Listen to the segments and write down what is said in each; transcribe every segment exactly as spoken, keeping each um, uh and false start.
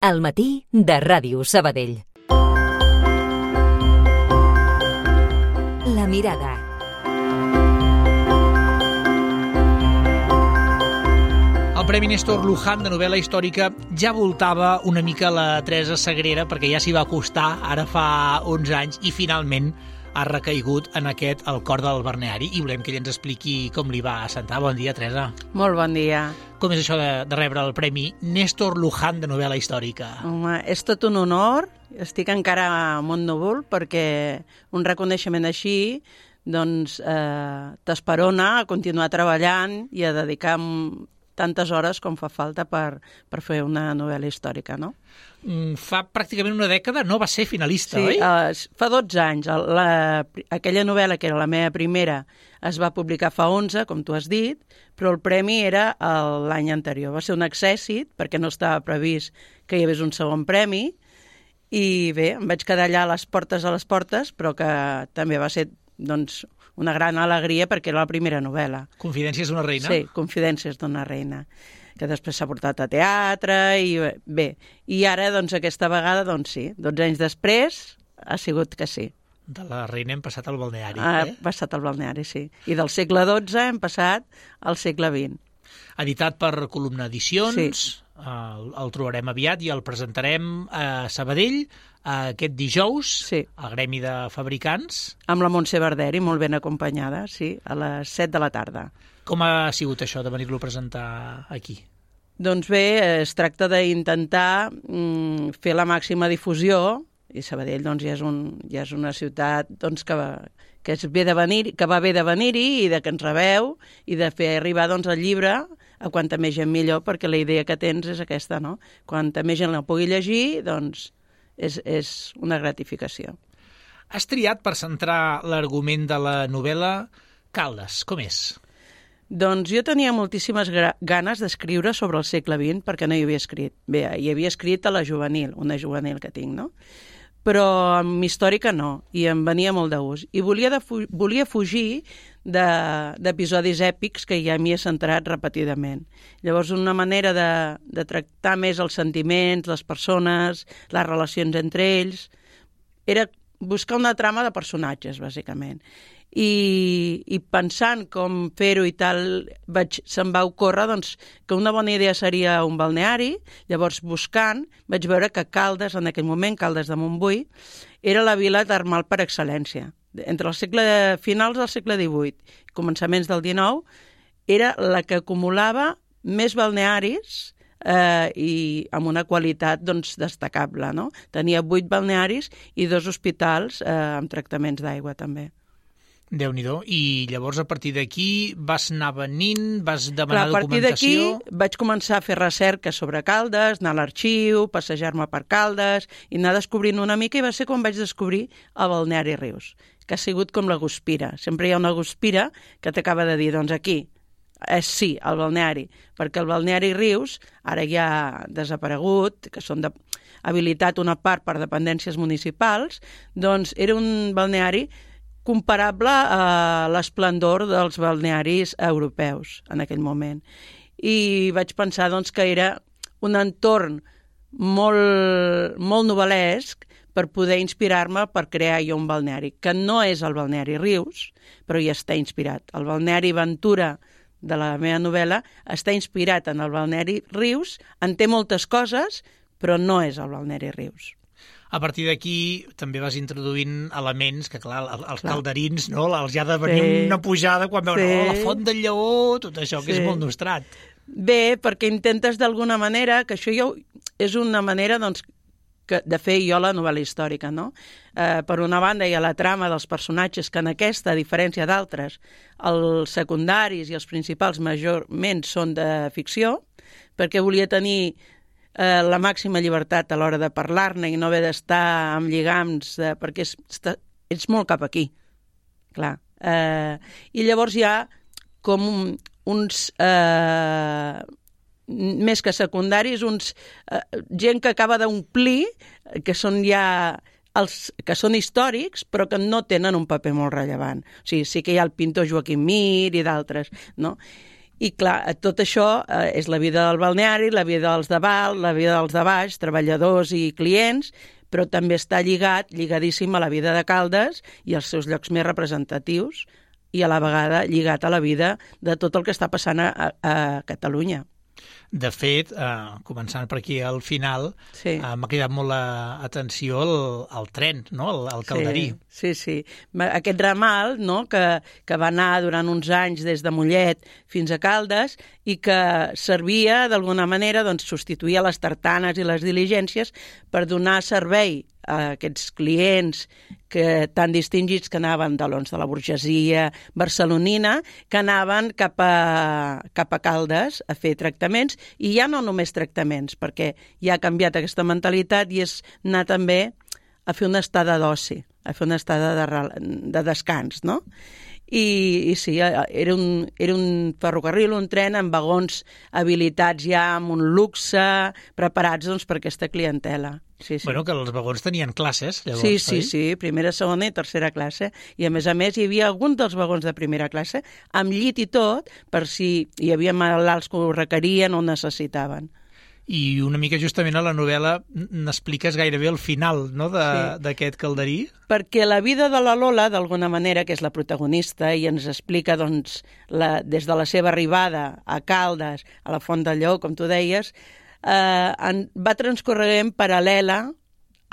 Al matí de Ràdio Sabadell. La mirada. El Premi Néstor Luján de novel·la històrica ja voltava una mica la Teresa Sagrera, perquè ja s'hi va acostar ara fa onze anys i finalment ha recaigut en aquest El cor del balneari, i volem que ella ens expliqui com li va assentar. Bon dia, Teresa. Molt bon dia. Com és això de, de rebre el Premi Néstor Luján de novel·la històrica? Home, és tot un honor. Estic encara molt núvol perquè un reconeixement així doncs, eh, t'esperona a continuar treballant i a dedicar tantes hores com fa falta per, per fer una novel·la històrica, no? Fa pràcticament una dècada no va ser finalista, sí, oi? Sí, uh, fa dotze anys. La, aquella novel·la, que era la meva primera, es va publicar fa onze, com tu has dit, però el premi era l'any anterior. Va ser un accèssit, perquè no estava previst que hi hagués un segon premi, i bé, em vaig quedar allà a les portes a les portes, però que també va ser doncs, una gran alegria perquè era la primera novel·la. Confidències d'una reina? Sí, Confidències d'una reina, que després s'ha portat a teatre, i bé. I ara, doncs, aquesta vegada, doncs sí, dotze anys després, ha sigut que sí. De la reina hem passat al balneari, ha eh? Ha passat al balneari, sí. I del segle dotze hem passat al segle vint. Editat per Columna Edicions, sí. el, el trobarem aviat i el presentarem a Sabadell aquest dijous, sí. al Gremi de Fabricants. Amb la Montse Barderi, molt ben acompanyada, sí, a les set de la tarda. Com ha sigut això de venir-lo a presentar aquí? Doncs bé, es tracta d'intentar mm, fer la màxima difusió, i Sabadell doncs, ja, és un, ja és una ciutat doncs, que, va, que, és bé de venir, que va bé de venir-hi i de que ens rebeu i de fer arribar doncs, el llibre a quanta més gent millor, perquè la idea que tens és aquesta, no? Quanta més gent la pugui llegir, doncs és, és una gratificació. Has triat per centrar l'argument de la novel·la Caldes. Com és? Doncs jo tenia moltíssimes ganes d'escriure sobre el segle vint perquè no hi havia escrit. Bé, hi havia escrit a la juvenil, una juvenil que tinc, no? Però amb històrica no, i em venia molt de gust. I volia, de fu volia fugir d'episodis èpics que ja m'hi he centrat repetidament. Llavors, una manera de, de tractar més els sentiments, les persones, les relacions entre ells, era buscar una trama de personatges, bàsicament. I, i pensant com fer-ho i tal, vaig, se'm va ocórrer doncs, que una bona idea seria un balneari. Llavors, buscant, vaig veure que Caldes, en aquell moment, Caldes de Montbui, era la vila termal per excel·lència. Entre el segle finals del segle divuit i començaments del dinou, era la que acumulava més balnearis eh, i amb una qualitat doncs, destacable. No? Tenia vuit balnearis i dos hospitals eh, amb tractaments d'aigua també. Déu-n'hi-do. I llavors, a partir d'aquí, vas anar venint, vas demanar Clar, documentació... A partir d'aquí vaig començar a fer recerca sobre Caldes, anar a l'arxiu, passejar-me per Caldes i anar descobrint una mica, i va ser quan vaig descobrir el balneari Rius, que ha sigut com la guspira. Sempre hi ha una guspira que t'acaba de dir, doncs aquí, és sí, el balneari, perquè el balneari Rius, ara ja ha desaparegut, que són de habilitat una part per dependències municipals, doncs era un balneari comparable a l'esplendor dels balnearis europeus en aquell moment. I vaig pensar doncs, que era un entorn molt, molt novel·lesc per poder inspirar-me per crear jo un balneari, que no és el balneari Rius, però hi està inspirat. El balneari Ventura de la meva novel·la està inspirat en el balneari Rius, en té moltes coses, però no és el balneari Rius. A partir d'aquí també vas introduint elements que, clar, els clar. calderins, no? Els ha de venir sí. una pujada quan veuen sí. oh, la font del Lleó, tot això, que sí. és molt nostrat. Bé, perquè intentes d'alguna manera, que això ja és una manera doncs, que, de fer jo la novel·la històrica, no? Eh, per una banda hi ha la trama dels personatges, que en aquesta, a diferència d'altres, els secundaris i els principals majorment són de ficció, perquè volia tenir Eh, la màxima llibertat a l'hora de parlar-ne i no haver d'estar amb lligams, de, perquè és, està, ets molt cap aquí, clar. Eh, I llavors hi ha com un, uns, eh, més que secundaris, uns, eh, gent que acaba d'omplir, que són ja els que són històrics, però que no tenen un paper molt rellevant. O sigui, sí que hi ha el pintor Joaquim Mir i d'altres, no? I clar, tot això eh, és la vida del balneari, la vida dels de Val, la vida dels de baix, treballadors i clients, però també està lligat, lligadíssim a la vida de Caldes i als seus llocs més representatius i a la vegada lligat a la vida de tot el que està passant a, a Catalunya. De fet, eh, començant per aquí al final, sí. eh, m'ha cridat molt l'atenció el, el tren, no? el, el calderí. Sí, sí, sí. Aquest ramal, no? que, que va anar durant uns anys des de Mollet fins a Caldes i que servia d'alguna manera, doncs, substituir les tartanes i les diligències per donar servei a aquests clients que, tan distingits que anaven de, doncs, de la burgesia barcelonina, que anaven cap a, cap a Caldes a fer tractaments, i ja no només tractaments, perquè ja ha canviat aquesta mentalitat i és anar també a fer una estada d'oci, a fer una estada de, de descans, no? I, i sí, era un, era un ferrocarril, un tren amb vagons habilitats ja amb un luxe, preparats doncs, per aquesta clientela. Sí, sí. Bueno, que els vagons tenien classes, llavors, sí, sí, oi? sí, primera, segona i tercera classe. I a més a més hi havia algun dels vagons de primera classe amb llit i tot, per si hi havia malalts que ho requerien o necessitaven. I una mica justament a la novel·la n'expliques gairebé el final, no?, d'aquest sí. calderí. Perquè la vida de la Lola, d'alguna manera, que és la protagonista, i ens explica doncs, la, des de la seva arribada a Caldes, a la Font del Lleó, com tu deies, eh, en, va transcorrent paral·lela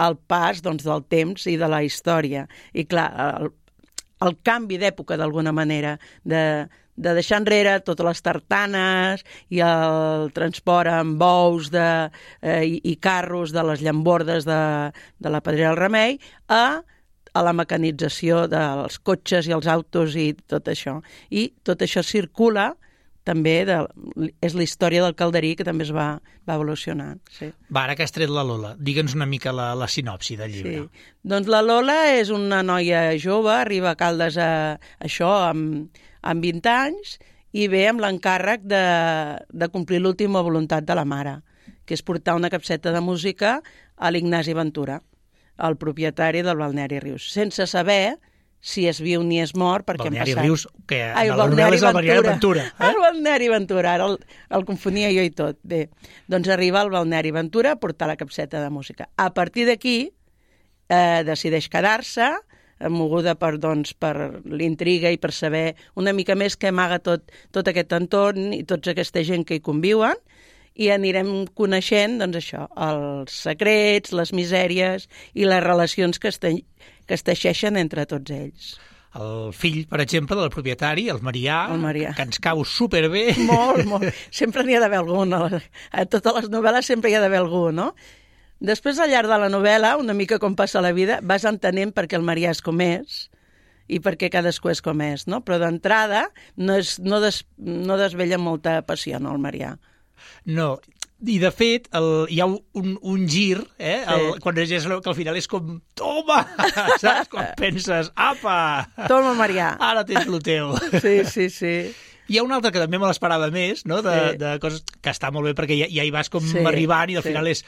al pas doncs, del temps i de la història. I clar, el, el canvi d'època, d'alguna manera, de... de deixar enrere totes les tartanes i el transport amb bous de, eh, i, i carros de les llambordes de, de la Pedrera del Remei a, a la mecanització dels cotxes i els autos i tot això. I tot això circula també, de, és la història del calderí que també es va, va evolucionar. Sí. Va, ara que has tret la Lola, digue'ns una mica la, la sinopsi del llibre. Sí. Doncs la Lola és una noia jove, arriba a Caldes a, això amb, amb vint anys i ve amb l'encàrrec de, de complir l'última voluntat de la mare, que és portar una capseta de música a l'Ignasi Ventura, el propietari del balneari Rius, sense saber si és viu ni és mort, perquè balneari han passat... Rius, que Ai, la novel·la és el balneari Ventura. Eh? El balneari Ventura, ara el, el confonia jo i tot. Bé, doncs arriba al balneari Ventura a portar la capseta de música. A partir d'aquí eh, decideix quedar-se, moguda per, doncs, per l'intriga i per saber una mica més què amaga tot, tot aquest entorn i tota aquesta gent que hi conviuen, i anirem coneixent, doncs això, els secrets, les misèries i les relacions que es, te... que es teixeixen entre tots ells. El fill, per exemple, del propietari, el Marià, el Marià. que ens cau superbé. Molt, molt. Sempre n'hi ha d'haver algú. No? A totes les novel·les sempre hi ha d'haver algú, no? Després, al llarg de la novel·la, una mica com passa la vida, vas entenent per què el Marià és com és i per què cadascú és com és, no? Però d'entrada no, és, no, des, no desvella molta passió, no, el Marià. No, i de fet el, hi ha un, un gir, eh? Sí. El, quan llegeix que al final és com, toma, saps? Quan penses, apa! Toma, Marià. Ara tens el teu. Sí, sí, sí. Hi ha una altra que també me l'esperava més, no? De, sí. de coses que està molt bé perquè ja, ja hi vas com sí, arribant i al sí. final és,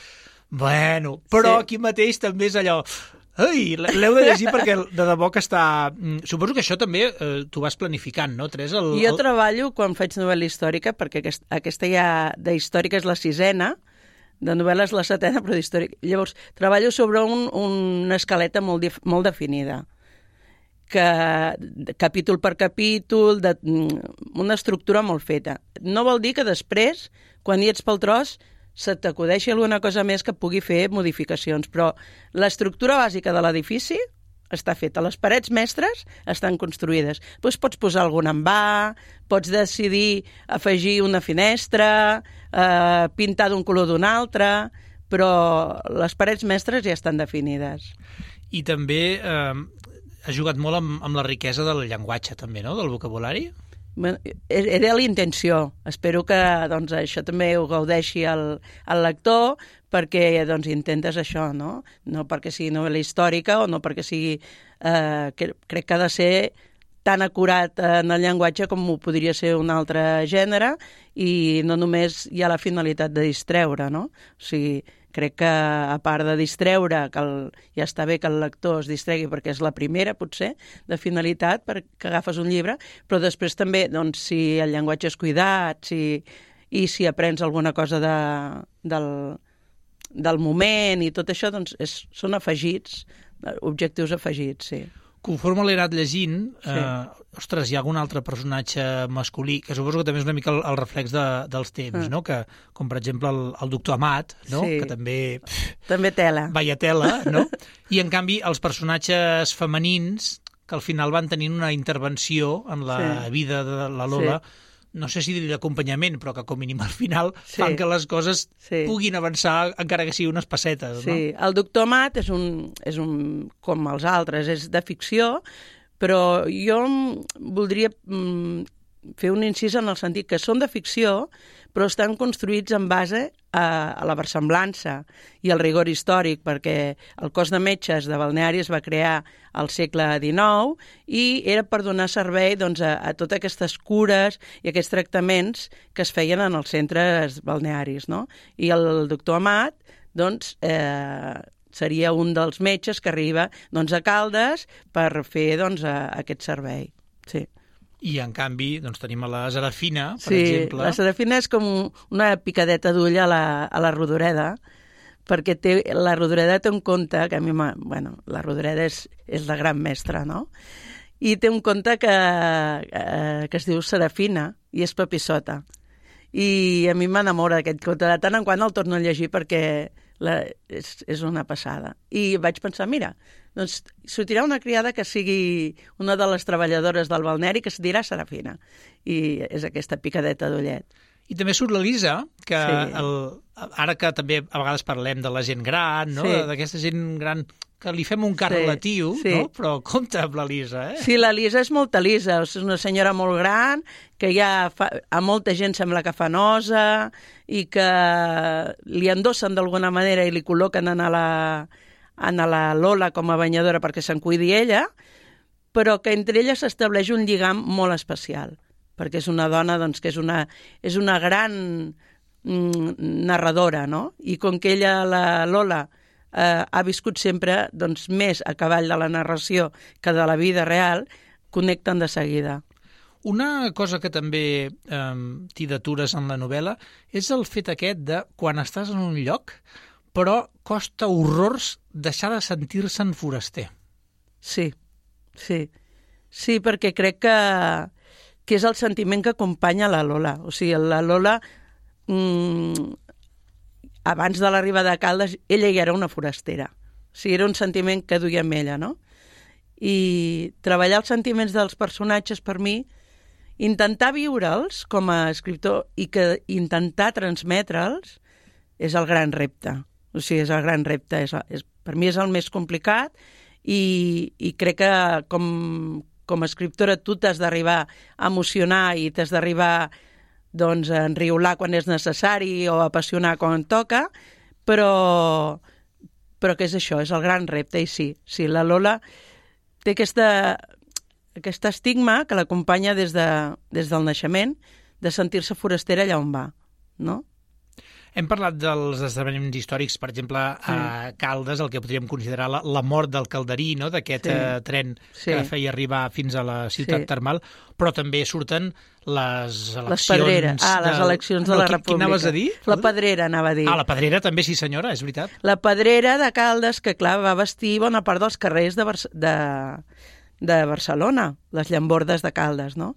bueno, però sí. aquí mateix també és allò... Ai, l'heu de llegir perquè de debò que està... Suposo que això també eh, t'ho vas planificant, no, Teresa? El, jo el... treballo quan faig novel·la històrica, perquè aquest, aquesta ja de històrica és la sisena, de novel·la és la setena, però d'històrica. Llavors, treballo sobre un, una escaleta molt, dif, molt definida, que capítol per capítol, de, una estructura molt feta. No vol dir que després, quan hi ets pel tros, se t'acudeixi alguna cosa més que pugui fer modificacions, però l'estructura bàsica de l'edifici està feta. Les parets mestres estan construïdes. Doncs pots posar algun envà, pots decidir afegir una finestra, eh, pintar d'un color d'un altre, però les parets mestres ja estan definides. I també eh, has jugat molt amb, amb la riquesa del llenguatge, també, no?, del vocabulari? Era la intenció. Espero que doncs, això també ho gaudeixi el, el lector, perquè doncs, intentes això, no? No perquè sigui novel·la històrica o no perquè sigui... Eh, que, crec que ha de ser tan acurat en el llenguatge com ho podria ser un altre gènere i no només hi ha la finalitat de distreure, no? O sigui, crec que, a part de distreure, que el, ja està bé que el lector es distregui perquè és la primera, potser, de finalitat, perquè agafes un llibre, però després també, doncs, si el llenguatge és cuidat, si, i si aprens alguna cosa de, del, del moment i tot això, doncs és, són afegits, objectius afegits, sí. Conforme l'he anat llegint, Sí. eh, ostres, hi ha algun altre personatge masculí, que suposo que també és una mica el, el reflex de, dels temps, Ah. no? Que, com per exemple el, el doctor Amat, no? Sí. Que també... Pff, També tela. vaya tela, no? I, en canvi, els personatges femenins, que al final van tenint una intervenció en la Sí. vida de la Lola, sí. no sé si dir d'acompanyament, però que com a mínim al final Sí. fan que les coses Sí. puguin avançar, encara que sigui unes pessetes, Sí, el doctor Amat és un, és un, com els altres, és de ficció, però jo voldria mm, fer un incís en el sentit que són de ficció, però estan construïts en base a, a la versemblança i al rigor històric, perquè el cos de metges de balneari es va crear al segle dinou i era per donar servei doncs, a, a totes aquestes cures i aquests tractaments que es feien en els centres balnearis, no? I el doctor Amat doncs, eh, seria un dels metges que arriba doncs, a Caldes per fer doncs, a, aquest servei. Sí. I, en canvi, doncs, tenim a la Serafina, per sí, exemple. La Serafina és com una picadeta d'ull a, la, a la Rodoreda, perquè té, la Rodoreda té un conte que a mi m'ha... Bueno, la Rodoreda és, és la gran mestra, no? I té un conte que, eh, que es diu Serafina i és papissota. I a mi m'enamora aquest conte. De tant en quant el torno a llegir perquè la, és, és una passada. I vaig pensar, mira, doncs sortirà una criada que sigui una de les treballadores del balneari que es dirà Serafina. I és aquesta picadeta d'ullet. I també surt l'Elisa, que Sí. el, ara que també a vegades parlem de la gent gran, no? Sí. D'aquesta gent gran que li fem un car Sí, relatiu, sí. no? Però compte amb l'Elisa, eh? Sí, la Lisa és molta Lisa, és una senyora molt gran, que ja fa, a molta gent sembla que fa nosa i que li endossen d'alguna manera i li col·loquen en la, en la Lola com a banyadora perquè se'n cuidi ella, però que entre elles s'estableix un lligam molt especial, perquè és una dona doncs, que és una, és una gran mm, narradora, no? I com que ella, la Lola, eh, ha viscut sempre doncs, més a cavall de la narració que de la vida real, connecten de seguida. Una cosa que també eh, t'hi detures en la novel·la és el fet aquest de quan estàs en un lloc, però costa horrors deixar de sentir-se'n foraster. Sí, sí. Sí, perquè crec que, que és el sentiment que acompanya la Lola. O sigui, la Lola, mmm, abans de l'arribada a Caldes, ella ja era una forastera. O sigui, era un sentiment que duia amb ella, no? I treballar els sentiments dels personatges, per mi, intentar viure'ls com a escriptor i que intentar transmetre'ls és el gran repte. O sigui, és el gran repte. És, és, per mi és el més complicat i, i crec que com, com a escriptora tu t'has d'arribar a emocionar i t'has d'arribar doncs, a enriolar quan és necessari o a apassionar quan toca, però, però que és això, és el gran repte. I sí, sí, la Lola té aquesta, aquest estigma que l'acompanya des, de, des del naixement de sentir-se forastera allà on va, no? Hem parlat dels esdeveniments històrics, per exemple, a Caldes, el que podríem considerar la, la mort del Calderí, no? D'aquest Sí. eh, tren Sí. que feia arribar fins a la ciutat Sí. termal, però també surten les eleccions... Les pedreres. Ah, les eleccions de no, la qui- República. Quina anaves a dir? La Pedrera, anava a dir. Ah, la Pedrera també, sí senyora, és veritat. La Pedrera de Caldes, que clar, va vestir bona part dels carrers de, Bar de, de Barcelona, les llambordes de Caldes, no?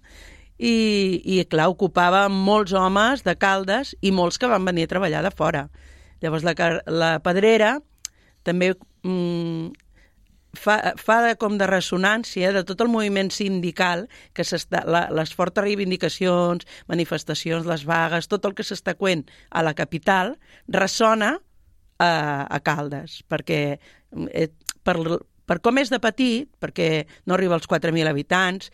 I, i clar, ocupava molts homes de Caldes i molts que van venir a treballar de fora. Llavors la, la Pedrera també mm, fa, fa de, com de ressonància de tot el moviment sindical, que s'està, la, les fortes reivindicacions, manifestacions, les vagues, tot el que s'està coent a la capital, ressona a, a Caldes, perquè eh, per, per com és de petit, perquè no arriba als quatre mil habitants,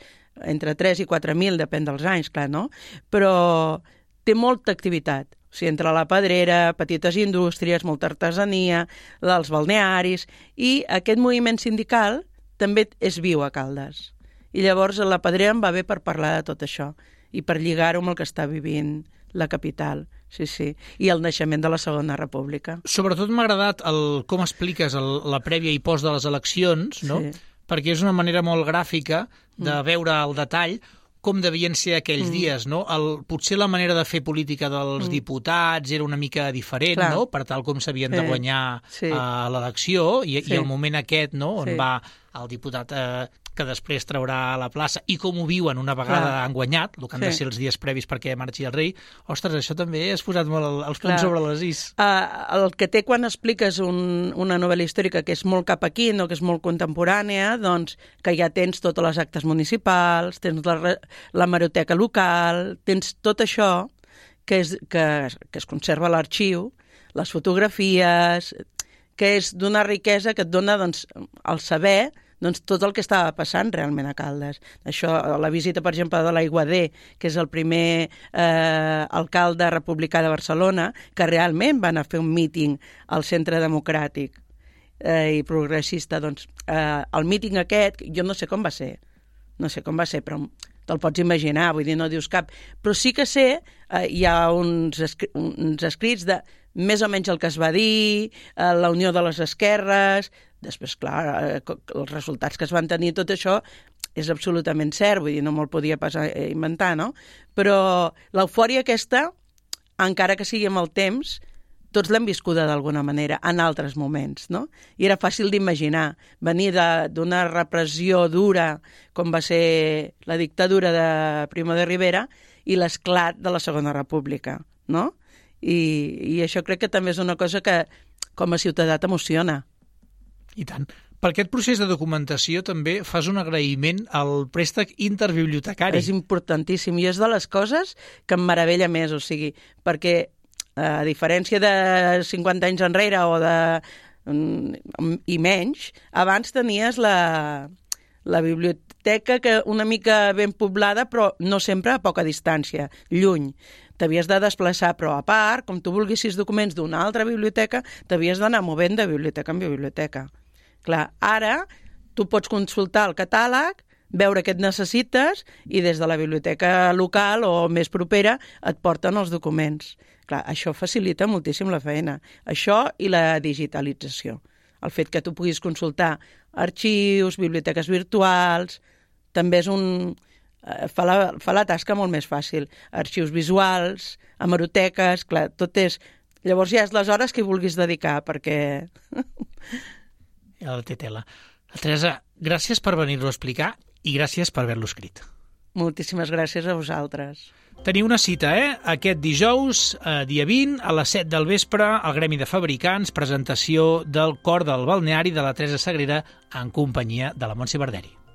entre tres i quatre mil, depèn dels anys, clar, no? Però té molta activitat. O sigui, entre la Pedrera, petites indústries, molta artesania, els balnearis, i aquest moviment sindical també és viu a Caldes. I llavors la Pedrera em va bé per parlar de tot això i per lligar-ho amb el que està vivint la capital, sí, sí. I el naixement de la Segona República. Sobretot m'ha agradat el, com expliques el, la prèvia i post de les eleccions, no? Sí. Perquè és una manera molt gràfica de mm. veure el detall com devien ser aquells mm. dies, no? El, potser la manera de fer política dels mm. diputats era una mica diferent, Clar. no? Per tal com s'havien sí. de guanyar sí. uh, l'elecció i, sí. i el moment aquest, no? On sí. va el diputat eh, que després traurà a la plaça i com ho viuen una vegada Clar. han guanyat, el que han sí. de ser els dies previs perquè marxi el rei. Ostres, això també has posat molt els punts sobre les is. Uh, el que té quan expliques un, una novel·la històrica que és molt cap aquí, no? Que és molt contemporània, doncs que ja tens totes les actes municipals, tens la, la hemeroteca local, tens tot això que es, que, que es conserva a l'arxiu, les fotografies, que és d'una riquesa que et dona doncs, el saber doncs, tot el que estava passant realment a Caldes. Això, la visita, per exemple, de l'Aiguader, que és el primer eh, alcalde republicà de Barcelona, que realment va anar a fer un míting al Centre Democràtic eh, i progressista. Doncs, eh, el míting aquest, jo no sé com va ser, no sé com va ser, però te'l pots imaginar, vull dir, no dius cap. Però sí que sé, eh, hi ha uns, escri uns escrits de més o menys el que es va dir, eh, la unió de les esquerres. Després, clar, eh, els resultats que es van tenir, tot això és absolutament cert, vull dir, no me'l podia pas inventar, no? Però l'eufòria aquesta, encara que sigui amb el temps, tots l'hem viscuda d'alguna manera, en altres moments, no? I era fàcil d'imaginar, venir d'una repressió dura, com va ser la dictadura de Primo de Rivera, i l'esclat de la Segona República, no? I, i això crec que també és una cosa que, com a ciutadà, t'emociona. I tant. Per aquest procés de documentació també fas un agraïment al préstec interbibliotecari. És importantíssim i és de les coses que em meravella més, o sigui, perquè a diferència de cinquanta anys enrere o de i menys, abans tenies la, la biblioteca que una mica ben poblada, però no sempre a poca distància, lluny. T'havies de desplaçar, però a part, com tu volguessis documents d'una altra biblioteca, t'havies d'anar movent de biblioteca en biblioteca. Clar, ara tu pots consultar el catàleg, veure què et necessites i des de la biblioteca local o més propera et porten els documents. Clar, això facilita moltíssim la feina. Això i la digitalització. El fet que tu puguis consultar arxius, biblioteques virtuals, també és un... Fa la, fa la tasca molt més fàcil. Arxius visuals, hemeroteques, clar, tot és... Llavors ja és les hores que hi vulguis dedicar, perquè... Ja la té tela. Teresa, gràcies per venir-lo a explicar i gràcies per haver-lo escrit. Moltíssimes gràcies a vosaltres. Teniu una cita, eh? Aquest dijous, eh, dia vint, a les set del vespre, al Gremi de Fabricants, presentació del Cor del Balneari de la Teresa Sagrera en companyia de la Montse Barderi.